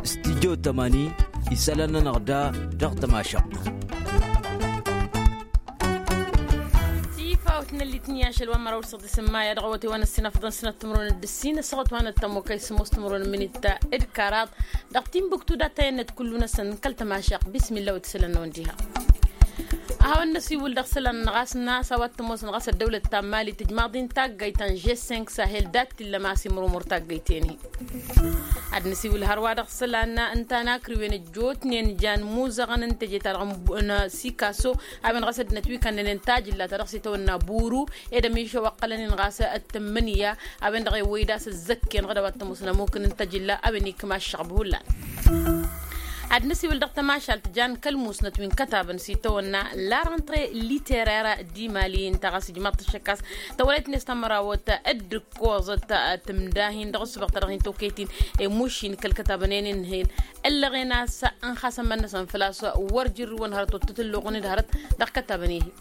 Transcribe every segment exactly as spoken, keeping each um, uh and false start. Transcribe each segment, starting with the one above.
Stidyo tămani isălan-nănăɣ da dăɣ-tămašăɣt. Tifawt n-ăllit n-iyašăl wa n-măraw d-săɣ d-isǝmmaya dăɣ-awătay wa n-ăssinafḍăn sănăt timǝrwen d-ǝssin ăssaɣăt wa n-ăttămokăy sămoos timǝrwen minit d-kăraḍ. Dăɣ-tinbuktu dat-tăyănnăt kullu-năsăn kăl-tămašăɣt. Bismilla wa t-isălan-năwăn diha. A hawăn-năsiwǝl dăɣ-isălan ɣas n-a-s a-wa t-ămoosăn ɣas ăddăwlăt ta n-mali tǝjmaḍ-in taggayt ta n-žesseng sahel dat-t illăm a-s imrumur taggayt-en-hi. Ad-năsiwǝl hărwa dăɣ-isălan ǝnta n-akrǝwen ăjjootnen jan imuzăɣăn n-teje-ta-dăɣ n-sikaso a-wen ɣas ăddinăt wi kannănen tajǝlla ta dăɣ-s itawănna buru ed ămišăw ăqqălăn-in ɣas d-tǝmmǝnǝya. A-wen-dăɣ ewwăy d-a-s ăzzăkken ɣǝd a-wa t-ămoosăn ămukǝn n-tajǝlla a-wen ikma ăššăɣb hullan. Ad-năsiwǝl dăɣ-tămašalt jan kăl-musnăt wi n-kătabăn s-itawănna la rentre literaire di mali ǝnta ɣas ijmaḍ-t ăššăk a-s tăwălăyt-net tamărawăt d-ǝkkoẓăt tǝmdahin dăɣ-ǝssǝbăɣ ta dăɣ-hin-tokăyt-in i-mušin kăl-kătabăn-en-in-hen. Ǝllăɣen a-s ǝnxasămăn-năsăn făl-a-s wăr jǝrrǝwăn hărăt wăr t-tǝlluɣăn d-hărăt dăɣ-kătabăn-i-hi.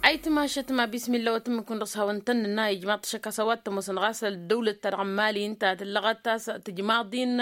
Ayǝtmašăt ma bismilla wa tǝmmǝkǝwăn dăɣ-s hawăn-tăn-nǝnna ijmaḍ-t ăššăk a-s a-wa t-ămoosăn ɣas ăddăwlăt ta dăɣ-mali ǝnta tǝllăɣăt a-s tǝjmaḍ-in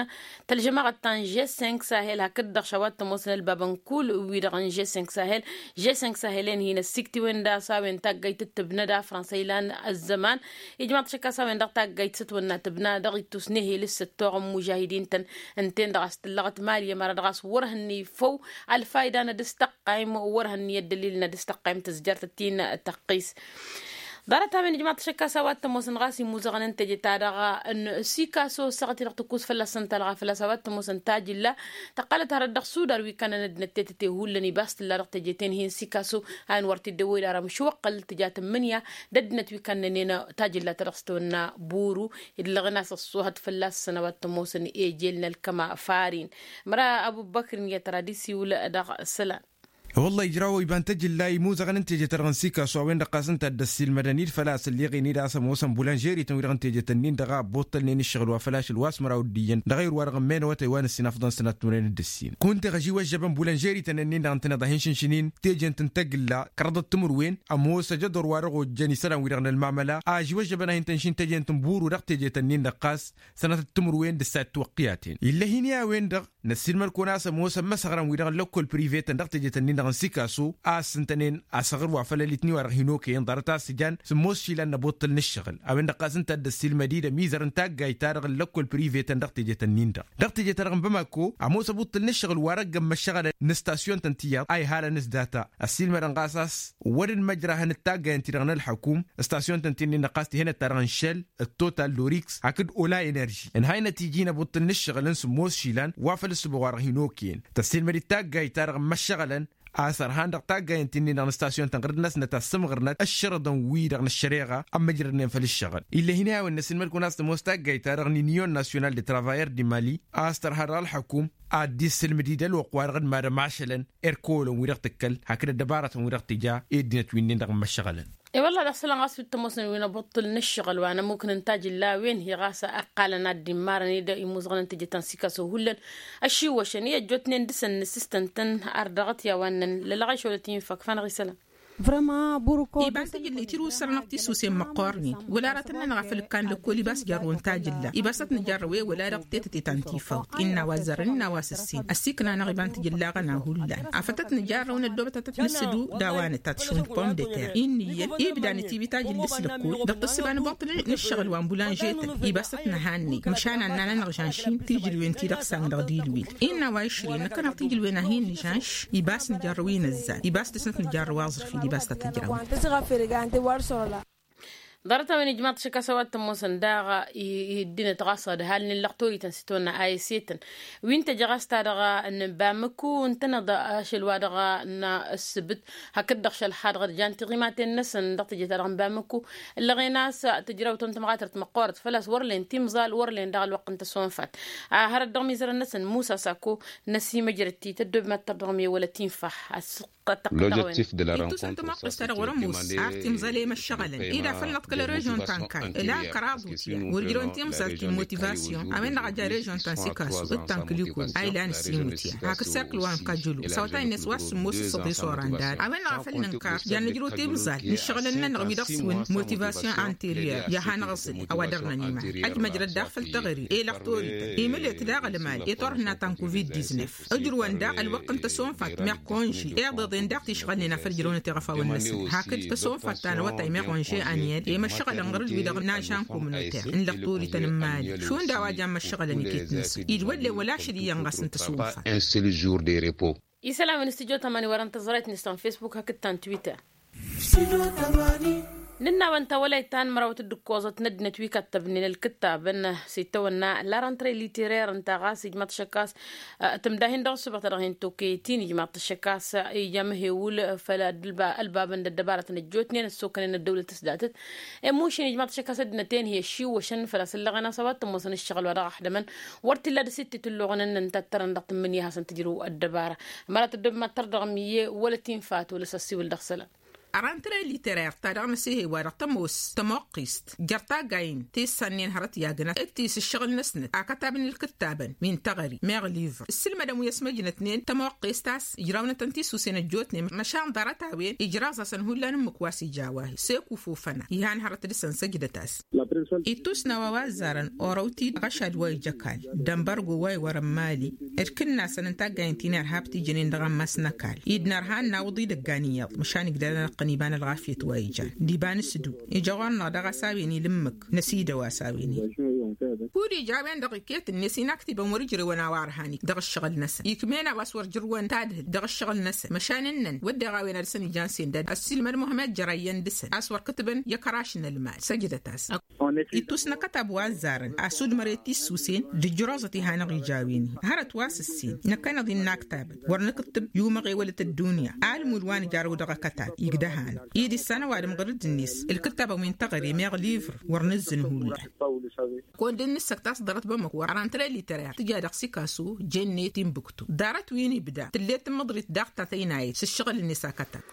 tălžămaɣăt ta n-žesseng sahel hakd-dăɣ š-a-wa t-ămoosăn ălbabăn kull-wi-dăɣ n-žesseng sahel. Žesseng sahel-en hin-ăssiktǝwen d-a-s a-wen taggayt d-tǝbnăd a fransa ilan ăzzăman. Ijmaḍ-t ăššăk a-s a-wen-dăɣ taggayt s-ătwănna tǝbna dăɣ-ittus n-ehel s-săttoɣ n-mužahidin-tăn. Ǝnta-en-dăɣ a-s tǝllăɣăt mali ămăra dăɣ-a-s wăr hănnăy făw ălfayda n-ad-ǝstăqqayǝm wăr hănnăy ăddălil n-ad-ǝstăqqayǝm tǝzjărt ăttin tăqqis. Ḍarăt-a-wen ijmaḍ-t ăššăk a-s a-wa t-ămoosăn ɣas imuzăɣăn n-teje-ta-dăɣ n-sikaso săɣăt-i-dăɣ tǝkkus fălla-săn talɣa fălla-s a-wa t-ămoosăn tajǝlla. Tăqqălăt hărăt dăɣ-sudar wi kannăn ăddinăt tetăte hullan ibas tǝlla dăɣ-teje-ten hin-sikaso a-wen wăr t-dd-ewwăy d-ara măšwăqqăl tǝja tǝmmǝnǝya d-ăddinăt wi kannănen tajǝlla ta dăɣ-s tăwănna buru. Idlăɣăn a-s ăṣṣuhăt fălla-săn a-wa t-ămoosăn ejel n-ălkăma farin. Măra ăbubăkr n-iyyăt ara d-isiwǝl dăɣ-isălan. Wălla ijraw iba n-tăjǝlla imuzăɣăn n-teje-ta-dăɣ n-sikaso a-wen-dăɣ ɣas ǝnta a dd-ăssiilmădăn-dd făl-a-s ălleɣen-dd a-s ămoosăn bulanžerităn-wi-dăɣ n-teje-tăn-in-dăɣ a ăbbuṭṭălnen ǝššăɣǝl wa făl-ašăl wa s-măraw d-iyyăn dăɣ-ayǝr wa dăɣ-ămmenăwătăy wa n-ăssinafḍăn sănat timǝrwen d-ǝssin kunta eɣ ăžiwăžžăbăn bulanžerităn-nin-dăɣ ǝntăneḍ a hin-šǝnšǝn-in teje n-tǝntăgǝlla kărăḍăt timǝrwen ămoos ajădor wa dăɣ-ojjăn isălan-wi-dăɣ n-ălmamăla a ăžiwăžžăbăn a hin-tănšin teje n-tǝnburu dăɣ-teje-tăn-in-dăɣ ɣas sănatăt timǝrwen d-ǝssa d-tiwăqqiyaten ill'-e hin-i a-wen-dăɣ. Năssiilmăd-kăwăn a-s ămoosăn imăsăɣrăn-wi-dăɣ n-lăkkol prive-tăn dăɣ-teje-tăn-in-dăɣ n-sikaso a ăssǝntănen asăɣr wa făll-ălitni wa dăɣ-hin-okăyăn ḍarăt a-s ǝjan sǝmmos išilan n-abuṭṭǝl n-ǝššăɣǝl. A-wen-dăɣ ɣas ǝnta a dd-ăssiilmăd-dd ămizăr n-taggayt-ta-dăɣ n-lăkkol prive-tăn dăɣ-teje-tăn-in-dăɣ dăɣ-teje-ta-dăɣ n-bamako ămoos abuṭṭǝl n-ǝššăɣǝl wa răggăn măššăɣălăn n-stasyon-tăn tiyyăḍ a ihalăn s-data ăssiilmădăn ɣas a-s wăr dd-măjrahăn d-taggayăn-ti-dăɣ n-ălḥăkum stasyon-tăn ti-nin-dăɣ ɣas tihănăt-ta-dăɣ n-šăl d-total d-oriks hakd ola enerži ǝnhaynăt iji n-abuṭṭǝl n-ǝššăɣǝl n-sǝmmos išilan wa făl ǝssǝbăɣ wa dăɣ-hin-okăyăn tăssiilmăd-dd taggayt-ta-dăɣ n-imăššăɣălăn a-s ărhan dăɣ-tasyon-tăn ɣǝrǝd-năsnăt a ăssǝmɣărnăt ǝššărăḍăn-wi-dăɣ n-ăššăreɣa ămmăjrădnen făll-ǝššăɣǝl. Ill'-e hin-i a-wen năssiilmăd-kăwăn a-s tămoos taggayt-ta-dăɣ n-inyon nasyonal d-travayăr d-imali a-s tărha dăɣ-ălḥăkum ad-dd-issǝlmǝd-dd ălwăqq-wa-dăɣ d-mad-ămašălăn erkolăn-wi-dăɣ tǝkkăl hakd ăddăbarătăn-wi-dăɣ tǝja i-ăddinăt wi-nin-dăɣ n-imăššăɣălăn. E-wălla dăɣ-isălan ɣas wi t-ămoosăn wi n-abuṭṭǝl n-ǝššăɣǝl wa n-ămmukǝn n-tajǝlla a-wen hi-ɣas ăqqalăn ad-dd-immarăn-dd imuzăɣăn n-teje ta n-sikaso hullan. Ăššiwwăšăn i-ăjjootnen dăɣ-săn n-asistăn-tăn ar dăɣ-t i-a-wa ǝnnăn lălăɣ išolăt infa ǝkfan ɣisălăn. Iba n-tajǝlla itirǝw săr-anăɣ tisusen măqqoornen wăla aratăn-nănăɣ a făl ǝkkan lăkkol ibas jarrăwăn tajǝlla ibas ad-t-nǝjarrăw i-wăla dăɣ-tetăte ta n-tifawt innă a-wa ăzzarăn innă a-wa s-ǝssin ăssiikna-năɣ iba n-tajǝlla aɣăna hullan afăl tăt-nǝjarrăw n-ăddoobăt ad-tăt-nǝssǝdu d-a-wa nǝtat šund pomdeter i n-iyyăn ibda nǝtibi tajǝlla s-lăkkol dăɣ-tǝssǝba n-abuṭṭǝl n-ǝššăɣǝl wa n-bulanžetăn ibas tăt-nǝhanney măšan ad-nanănăɣ žanš-in tijǝlwen-ti-dăɣ s-ann dăɣ-dilwil. Innă a-wa išrǝyăn năkkăneɣ tijǝlwen ad-hin-nǝžanš ibas nǝjarrăw-in ăzzan ibas dăr-snăt nǝjarrăw aẓrǝf-in ibas tăt-ǝjrăwăn. Ḍarăt-a-wen ijmaḍ-t šăkk a-s a-wa t-ămoosăn daɣ i-ăddinăt ɣas ădhalnen lăqtorităn s-itawănna a s-e-tăn wi n-teje ɣas ta dăɣ-n bamăku ǝntăneḍ ašăl wa dăɣ-n ǝssǝbǝt hakd-dăɣ šălxadăɣ d-jan tiɣimaten-năsăn dăɣ-teje ta dăɣ-n bamăku. Ǝllăɣen a-s tǝjrawt n-tămɣatărt măqqoorăt făl-a-s wăr len timẓal wăr len daɣ ălwăqq n-tăsonfat. Hărăt dăɣ-mizărăn-năsăn musa sako n-ăsimăjrăd-t i-tăddob mad-tărdăɣ mewălăt infa. Ăssiqqăt tăqqăt dăɣ-a-wen. Ittus n-tămoqqǝst ta dăɣ-wăr-ămoos ar timẓălem ăššăɣǝlăn ida făl năḍ. Ălrežon ta n-kayy ila kăraḍ utya wăr ǝjrăwăn timẓalt ti n-motivasyon a-wen-dăɣ a ja režon ta n-sikasu d-ta n-kǝliko a ilan ǝssin utya hakd serkǝl wa n-kajulu s-awătay-net wa s-sǝmmos s-săḍis oran dad a-wen-dăɣ a făl nǝnkar. Jan nǝjrăw timẓalt n-ǝššăɣǝl-nănăɣ wi-dăɣ s-iwǝn motivasyon anteriyer i-ad-hanăɣ-ăẓǝl. A-wa dăr-năn iman ăjmăjrăt daɣ făll-teɣăre i-lăxtorităn imǝlǝt daɣ ălmal i-turhǝnna ta n-covid-diznef. Ǝjrǝwăn daɣ ălwăqq n-tăsonfat meɣ konže iḍeḍen daɣ tišɣălnen a făl ǝjrăwnăt iɣăfawăn-năsăn hakd tăsonfat ta n-awătay meɣ onže anyed i-măššăɣălăn ɣur-dd wi-dăɣ n-ažan komnoter n-lăxtorităn n-mali šund a-wa jan măššăɣălăn iket-năsăn idwăllen wăla ašăl iyyăn ɣas n-tăsonfat. Isălan wi n-studyo tămani wărăn tăẓrayt-net ta n-facebook hakd ta n-twitter. Nǝnn'-awăn tawălayt ta n-mărawăt d-ǝkkoẓăt n-ăddinăt wi kattăbnen ălkǝttabăn s-itawănna la rentre literer ǝnta ɣas ijmaḍ-t ašăk a-s tǝmdahin dăɣ-ǝssǝbăɣ-ta-dăɣ hin-tokăyăt-in ijmaḍ-t ašăk a-s ija amhewǝl făll-ălbabăn d-ăddăbarătăn ăjjootnen ăssokănen ăddăwlăt s-datăt i-mušin ijmaḍ-t ašăk a-s ăddinăt-en hi-ăššiwwăšăn făl-a-s ǝllăɣen a-s a-wa t-ămoosăn ǝššăɣǝl wa dăɣ-ăxdămăn. Wăr t-illa dăr-s ittitǝlluɣăn ǝnnăn tattărăn dăɣ-tǝmmǝnǝya hasăn-tǝjrǝw ăddăbara. Ămăra tăddobem ad-tărdăɣ miyye wăla tinfa tolăs ăssiwǝl dăɣ-isălan. Ărantăre literer ta dăɣ-năsihe wa-dăɣ tămoos tămoqqist jer-taggayen ti s-sănnen hărăt i-agna d-ti s-ǝššăɣǝl-năsnăt akătab n-ǝlkǝttabăn wi n-teɣări meɣ livăr ǝssǝlmădăn wi ăsmăjnătnen tămoqqist a-s ǝjrawnătăn tisusen ăjjootnen măšan ḍarăt-a-wen ijraẓ-asăn hullan ǝmmǝk wa s-ija a-wa hi-sek ufufăna ihan hărăt dăɣ-săn săjdăt-as. Ittusna wa wa ăzzarăn orăw-t-dd ɣăšad wa ija ăkall d-ănbărgo wa iwărăn mali d-kǝnnasăn n-taggayen ti n-irhab ti jănen dăɣ-ammas n-ăkall i-dd-nărha n-nawǝḍ idăggan iyyăḍ măšan igdăd-anăɣ-tăn iba n-ălɣafyăt wa ijan d-iba n-asǝdu ija ɣur-năɣ dăɣ-a-s a-wen ilǝmmǝk n-asida wa s-a-wen-i. Kud ija a-wen-dăɣ iket-net inaktibăn wăr-ǝjrewăn a-wa ărhan-ik dăɣ-ǝššăɣǝl-năsăn ikm'-en a-wa s-wăr jǝrwăn tadhǝlt dăɣ-ǝššăɣǝl-năsăn măšan ǝnnăn wădden a-wen ad-dăɣ-săn ijan sendad ăssiilmăd muhămmed jărayyăn dăɣ-săn a-s wăr kǝtǝbăn i-akărašăn ălmal săjdăt-as. Ittus n-akătab wa ăzzarăn asudmăr i-tissusen d-ǝjrăẓăt iha-năɣ ija a-wen-i hărăt wa s-ǝssin năkkăneḍ-in n-aktabăt wăr nǝkǝttǝb i-umăɣ ewălăt ăddunya almud wa nǝjarăw dăɣ-akătab igdăh-anăɣ i-dd-issan ăwadǝm ɣǝr-dd-net ǝlkǝttabăn wi n-teɣăre meɣ livr wăr nǝzzǝn hullan. Kăwăn-dd-nǝssăk tasdărăt bămmăk wăr ărantăre literer tǝja dăɣ-sikasu jenne timbuktu ḍarăt wi n-ibda tǝllet tǝmmǝḍrit daɣ ta tăynayăt s-ǝššăɣǝl-net akătab.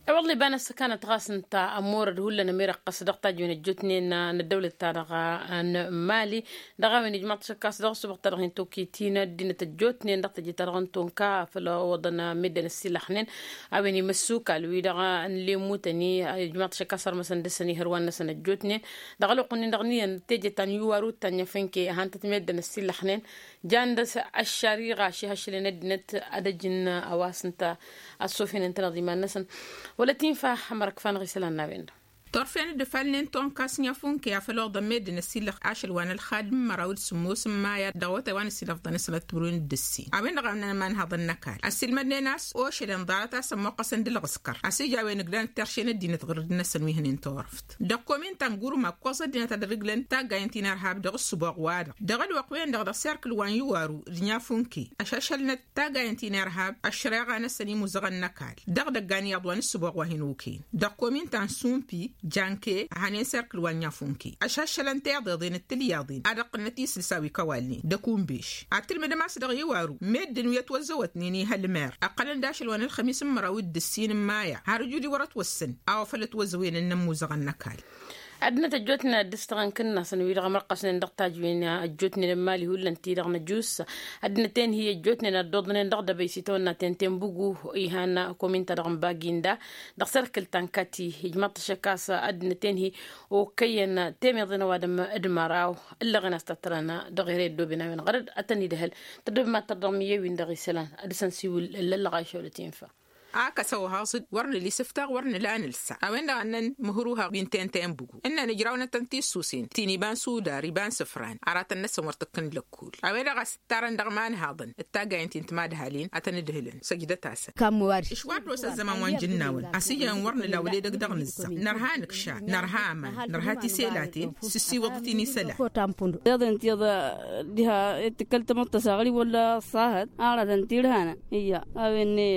I-wălla iba n-ăssăkanăt ɣas ǝnta ămorăd hullan ămirăqqăs dăɣ-tajǝwen ăjjootnen n-ăddăwlăt-ta-dăɣ n-mali dăɣ-a-wen ijmaḍ-t ašăk a-s dăɣ-ăssuɣăt-ta-dăɣ hin-tokit-in ăddinăt ăjjootnen dăɣ-tejăt-ta-dăɣ n-tonka făll-ăwwăḍăn meddǝn ăssiilăxnen a-wen imăssukal wi-dăɣ n-lemutăn-i ijmaḍ-t ašăk a-s ărmăsăn dăɣ-săn ihărwan-năsăn ăjjootnen dăɣ-ălwăqq-nin-dăɣ n-iyyăn teje ta n-iwaru d-ta n-inyăfănke ăhan tătmeddǝn ăssiilăxnen jan dăɣ-s ăššariɣa šihăššălen ăddinăt ad-ăjǝn a-wa s-ǝnta ăssofenăn-tăn iḍiman-năsăn wăla tinfa. Ămărăkfa-năɣ isălan n-a-wen-dăɣ. Turfen dd-ăfalnen tonka s-nyafunke a făl oḍăn meddǝn ăssiilăx ašăl wa n-ălxad n-măraw d-sǝmmos n-maya dăɣ-awătay wa n-ăssiilăfḍăn isălan d-turwen d-ǝssin a-wen-dăɣ a ămnăn imanhaḍăn n-ăkall ăssiilmădnen a-s ošălăn ḍarăt a-s ămmuqqăsăn d-ǝlɣǝskăr a-s ija a-wen ǝglan tirše n-ăddinăt ɣur-dd-năsăn wi hănen turăft. Dăɣ-komin ta n-gurma ǝkkoẓ ăddinăt ad-ărǝglăn taggayen ti n-irhab dăɣ-ǝssǝboɣ-wa-dăɣ dăɣ-ălwăqq-wen-dăɣ dăɣ-serkǝl wa n-iwaru d-nyafunke ăšašălnăt taggayen ti n-irhab ăššăreɣa-năsăn imuzăɣăn n-ăkall dăɣ-idăggan iyyăḍ wa n-ǝssǝboɣ wa hin-okăyăn dăɣ-komin ta n-sumpi janke ăhănen serkǝl wa n-nyafunke ăšašălăn tiḍeḍen d-tilyaḍen ad-ăqqǝnnăt isǝlsa wi kăwalnen d-ăkunbeš ad-tǝlmǝdăm a-s dăɣ-iwaru meddǝn wi ătwăzzăwătnen i-hălmer ăqqălăn d-ašăl wa n-ălxămis n-măraw d-ǝssin n-maya har ǝjud-i wăr-ătwăssăn a-wa făl ătwăzzăwăynen n-ămmuzăɣăn n-ăkall. Ăddinăt ăjjootnen ad-dd-ǝstăɣăn kǝnnasăn wi-dăɣ ămrăqqăsnen dăɣ-tajǝwen ăjjootnen n-mali hullan ti-dăɣ năjus ăddinăt-en-hi ăjjootnen ad-dd-oḍnen dăɣ-dăbăy s-itawănna ten-tenbǝgu ihan komin-ta-dăɣ n-baginda dăɣ-serkǝl ta n-kati ijmaḍ-t ašăk a-s ăddinăt-en-hi okăyăn temeḍen ăwadǝm d-măraw ǝllăɣen a-s tattărăn dăɣ-ere ăddooben a-wen ɣărăd ad-tăn-idhăl. Tăddobem ad-tărdăɣ miyye-win-dăɣ isălan ad-dăr-săn siwǝl ǝllăllăɣ a išăwlăt infa. Akăsăw haẓ-dd wăr nǝla isǝftaɣ wăr nǝla anǝlsa a-wen-dăɣ a ǝnnăn mǝhruhăɣ wi n-tente n-bǝgu ǝnnăn ǝjrawnătăn tissusen ti n-iba n-sudar iba n-isǝfran aratăn-năsăn wăr t-ǝkkǝn lăkkul a-wen-dăɣ a-s ǝttarăn dăɣ-imanhaḍăn d-taggayen ti n-timadhalin ad-tăn-ǝdhǝlăn săjdăt-asăn. Išwar-dd oss ăzzăman wa n-jǝnnawăn a-s ijăn wăr nǝla wăla edăgg dăɣ-nǝzzăɣ nărha anǝkšad nărha aman nărha tiselaten s-ǝssiwǝḍ-t-in isălan. Iḍen tiḍa diha i-tǝkkăl tamăḍt tasaɣri wăla ăṣṣahăt aratăn-t-irhanăn. Iyya a-wen-i.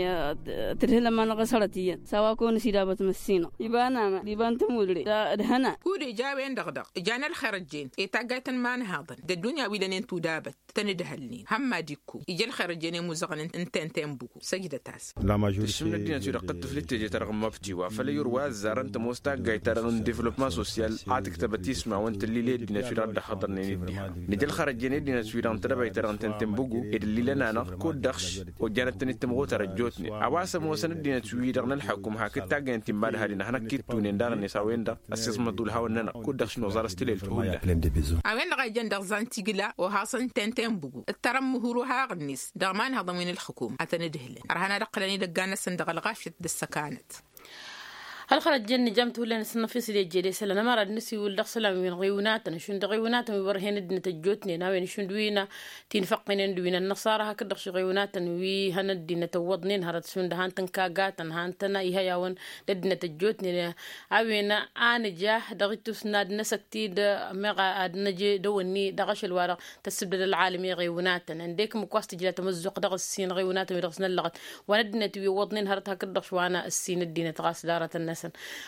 Ǝdhǝlăn ma năɣ-ăsărăt iyyăn s-a-wa kăwăn-ăsidabăt măssinăɣ iba n-amăn iba n-tămudre. Ǝdhăna. Kud ija a-wen-dăɣ daɣ ǝjan ălxărăjjen i-taggayt n-imanhaḍăn d-ăddunya wi lănen tudabăt tăn-ǝdhălnen hămmad ikku ija ălxărăjjen i-imuzăɣăn n-tenten buku săjdăt-as. Tǝššǝm n-ăddinăt-wi-dăɣ tǝḍḍǝflit teje-ta-dăɣ n-mabtiwa făl i-urwa ăzzarăn tămoos taggayt-ta-dăɣ n-devlopman sosyal a tǝktăbăt ismawăn tǝllil i-ăddinăt-wi-dăɣ dd-ăhhăḍărnen i-ǝddihăḍ nǝja ălxărăjjen i-ăddinăt-wi-dăɣ n-tedăbayt-ta-dăɣ n-tenten bugu ed ǝllilăn-anăɣ kud-dăɣ ojjanăt-tăn-dd tǝmɣut ărăjjotnen a-wa s-ămoosăn ăddinăt-wi-dăɣ n-ălḥăkum hakd taggăyăn ti n-imadhalen ad-hanăk-ittunen daɣ-net a-wen-dăɣ ăssismăḍ ulhaw-nănăɣ kud-dăɣ šnuẓar s-tilelt hullan. A-wen-dăɣ a ijăn dăɣ-zantigla oha s-ǝnta ǝnta i-ănbǝgu ǝttărăn mǝhǝru haɣ-net dăɣ-imanhăḍăn wi n-ălxǝkum ad-tăn-ǝdhǝlăn ărhan ad-ǝqqǝlăn idăggan-năsăn dăɣ-ălɣafyăt d-ăssăkanăt. Ălxărăt jăn nǝjăm t-hullan s-ǝnnăfis d-ejjed isălan ămăra d-nǝsiwǝl dăɣ-isălan wi n-iɣiwǝnatăn šund iɣiwǝnatăn wi wăr-hen ăddinăt ăjjootnen a-wen šund wi n-tinfăqqinen d-wi n-ănnăṣara hakd-dăɣ š-iɣiwǝnatăn wi hăn ăddinăt ăwwăḍnen hărăt šund han-tăn kagatăn han-tăn ihăyawăn d-ăddinăt ăjjootnen. A-wen a nǝja dăɣ-ittus n-ad-năsăkt-dd meɣ ad-năj dăwănni dăɣ-ašăl-wa-dăɣ tăssǝbdăd ălɣalăm i-iɣewnatăn ăndek ǝmmǝk wa s-tǝjla tamǝzzuɣt dăɣ-ǝssin iɣewnatăn wi dăɣ-s năllăɣăt wa n-ăddinăt wi iwwăḍnen hărăt hakd-dăɣ šwa n-ǝssin ăddinăt ɣas ḍarătăn-năsăn.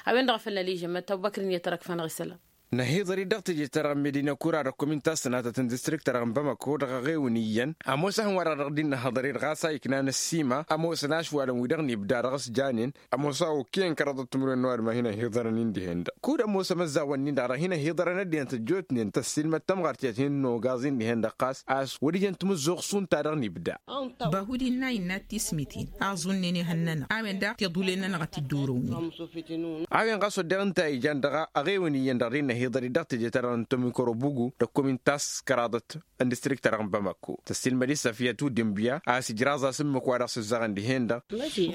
A-wen-dăɣ a făl nălijăm mătawbăkrin i-ad-tărăkfănăɣ isălan. Năhiḍăr-dd dăɣ-teje-ta-dăɣ n-medina kura dăɣ-komin ta s-sănatăt n-distrikt-ta-dăɣ n-bamako dăɣ-aɣewăn iyyăn ămoosăn wăr-dăɣ dd-innăhăḍăr-dd ɣas a iknan ăssima ămoosăn ašwalăn wi-dăɣ n-ibda dăɣ-s janen. Ămoos a okăyăn kăraḍăt timǝrwen n-ăwadǝm a hin-ăhiḍărăn-in dihen-dăɣ kud-ămoos ămăzzawăn-in-dăɣ dăɣ-hin-ăhiḍărăn ăddinăt ăjjootnen tăssilmăd tamɣart i-ad-hin-nogaẓ-in dihen-dăɣ ɣas a-s wăr ijăn timǝzzuɣt šund ta dăɣ-nibda. Bahud innă innă tismiten aẓunnen ihăn-nănăɣ a-wen daɣ tiḍulen-nănăɣ a t-dd-urǝwnen. A-wen ɣas wădden ǝnta a ijan dăɣ-aɣewăn iyyăn dăɣ-dd-innă hiḍăr-dd dăɣ-teje-ta-dăɣ n-tomikorobugu d-ăkkomin taskăraḍăt n-distrikt-ta-dăɣ n-bamako tăssilmăd-i săfiyăt udǝnbǝya a-s ǝjraẓ-as ǝmmǝk wa dăɣ-s ǝzzaɣăn dihen-dăɣ.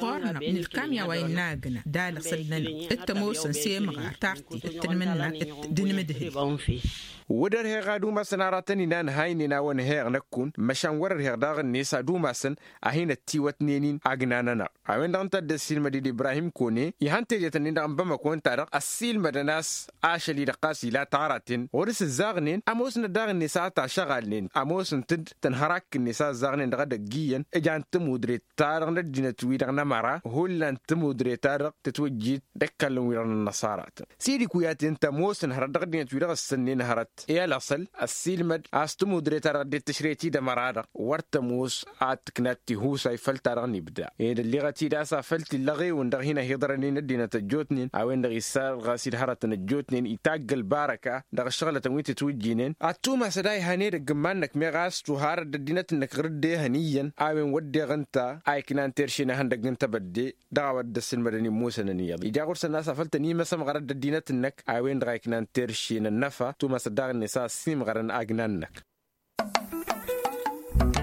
Ɣur-năɣ nǝlkam i-a-wa innă agna d-alăɣ săl-nănăɣ d-tămoosăn s-emɣar tartit d-tanmǝnna d-inmǝdhǝl. Wăr-ărheɣ ad-umasăn aratăn inan haynen a-wa n-heɣ năkkun măšan wăr-ărheɣ daɣ-net ad-umasăn a hin-ăttiwătnen-in agna-nănăɣ. A-wen-dăɣ ǝnta a dd-ăssiilmăd-dd ibrahim kone ihăn tejet-ǝnnin-dăɣ n-bamăko ǝnta-dăɣ ăssiilmădăn a-s ašăl-i-dăɣ ɣas ila taraten ɣur-s ǝzzaɣnen ămoosnăt daɣ-net a tašăɣalnen ămoosnăt-dd tănhărak-net a ǝzzaɣnen dăɣ-edăgg iyyăn. Ǝjan tămudret-ta-dăɣ n-ăddinăt-wi-dăɣ n-ămăra hullan tămudret-ta-dăɣ tǝtwǝjjit d-ăkallăn-wi-dăɣ n-ănnăṣaratăn s-idikuyaten tămoosăn hărăt dăɣ-ăddinăt-wi-dăɣ ǝssǝnnen hărăt i-alăṣăl ăssiilmăd a-s tămudret-ta-dăɣ ăddinăt tǝšret-i d-ămăra-dăɣ wăr tămoos ad-tǝknat tihusay făll-ta-dăɣ n-ibda ed ălliɣăt-dd a-s afăl t-illa ɣewăn dăɣ-hin-ăhiḍărănen ăddinăt ăjjootnen a-wen-dăɣ issalɣas-dd hărătăn ăjjootnen itagg ălbarăka dăɣ-ǝššăɣlătăn wi tǝtwǝjjinen ad-tumasăd a ihan edăgg n-iman-năk meɣ a-s tuharăt d-ăddinăt-năk ɣur-dd ehăn iyyăn. A-wen wădden ǝnta a iknan terše n-ehăndăgg n-tebădde dăɣ-a-wa dd-ăssilmădăn immusăn ăniyyăḍ ija ɣur-săn a-s afăl tăn-imăsămɣărăt d-ăddinăt-năk. A-wen-dăɣ a iknan terše n-ănnăfa tumasăt daɣ-net a ăssiimɣărăn agna-năk.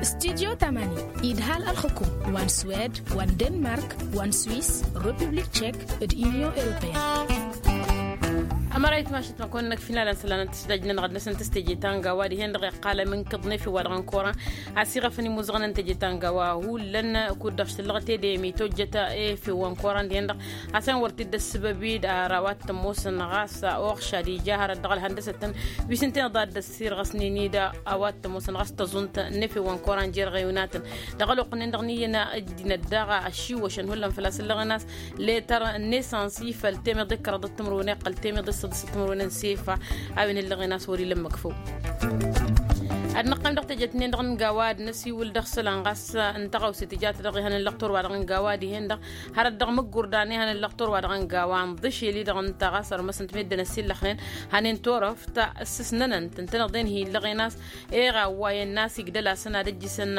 Studyo tamani idhal ălxukum wa n-swed wa n-denmark wa n-swiss, republik tchek d-union europeyăn. Ămărayt mašăt ma kăwăn-năkf inalăn isălan n-tǝsdaj-nănăɣ d-năsăn tǝstejeta n-gawa dihen-dăɣ iqqalăm n-kǝḍnef i-wa-dăɣ n-koran. Asiɣăfăn imuzăɣăn n-tejeta n-gawa hullan kud-dăɣ s-tǝllăɣ tedemi tojjăt efew wa n-koran dihen-dăɣ. Asăn wăr t-dd-ăssǝbăb-dd ar a-wa t-ămoosăn ɣas oɣšad ija hărăt dăɣ-ălhăndăsăt-tăn wi s-ǝnta inăḍ a dd-ăssirɣăsnen-dd a-wa t-ămoosăn ɣas tăẓunt n-efew wa n-koran jer-ɣewnatăn. Dăɣ-ălwăqq-nin-dăɣ n-iyyăn ăddinăt daɣ ăšiwăšăn hullan făl-a-s ǝllăɣen a-s letter n-nesans i-făl temiḍ d-kăraḍăt timǝrwen iqqăl temiḍ d-săḍisăt timǝrwen n-sefa. A-wen ǝllăɣen a-s wăr-ila ǝmmǝk făw. Ad-năqqălăm dăɣ-tejet-nin-dăɣ n-gawa ad-năsiwǝl dăɣ-isălan ɣas n-taɣawse tǝjat dăɣ-ihăn n-lăqtor-wa-dăɣ n-gawa dihen-dăɣ hărăt dăɣ-mǝggurdan ihăn n-lăqtor-wa-dăɣ n-gawa ǝnḍǝšel-i-dăɣ ǝnta ɣas ărmăsăn-t meddǝn ăsillăxnen. Hănen turăft s-ǝsnănăn-tăn-tănăḍen hi-illăɣen a-s eɣa ăwwayăn n-asigdăl-asăn ad-ăjjǝsăn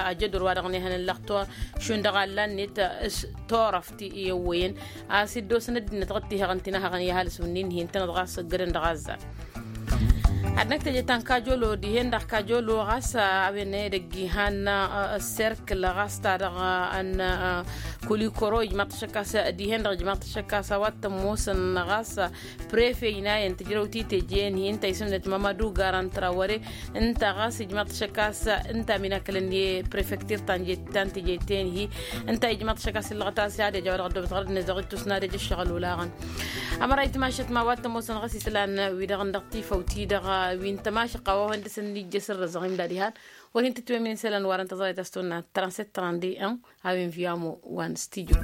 ajădor-wa-dăɣ n-ehăn n-lăqtor šund dăɣ-allan-net s-turăft i-ăwwăyăn a-s iddosăn ăddinăt ɣǝttihăɣăn tinăhăɣăn i-ăhalǝs wǝnnin-hi ǝntănăt ɣas ǝggădăn dăɣ-azzar. Ad-năkk teje ta n-kajolo dihen-dăɣ kajolo ɣas a-wen edăgg ihan ăsserkǝl ɣas ta dăɣ-ănn kulikoro ijmaḍ-t ašăk a-s dihen-dăɣ ijmaḍ-t ašăk a-s a-wa t-ămoosăn ɣas prefe ijnayăn tǝjrăwt i-teje-en-hi ǝnta isǝmnăt mamadu garan trawăre. Ǝnta ɣas ijmaḍ-t ašăk a-s ǝnta a-min akălăn i-prefektir ta n-teje-ten-hi. Ǝnta ijmaḍ-t ašăk a-s illăɣăt a-s i-ad-ija a-wa dăɣ-ăddoobăt ɣărăt-net dăɣ-ittus n-ad-ija ǝššăɣǝl olaɣăn. Ămărayt mašăt ma a-wa t-ămoosăn ɣas isălan-wi-dăɣ n-dăɣ-tifăw-ti-dăɣ wi n-tămašăqqa wa hawăn dăr-săn n-ijjăs ărrăzăɣ imdad ihan. Wăr hin-tǝtwăyăm isălan warăn tăẓayăt a-s tăwănna transet trande en a-wen viamo wa n-studyo.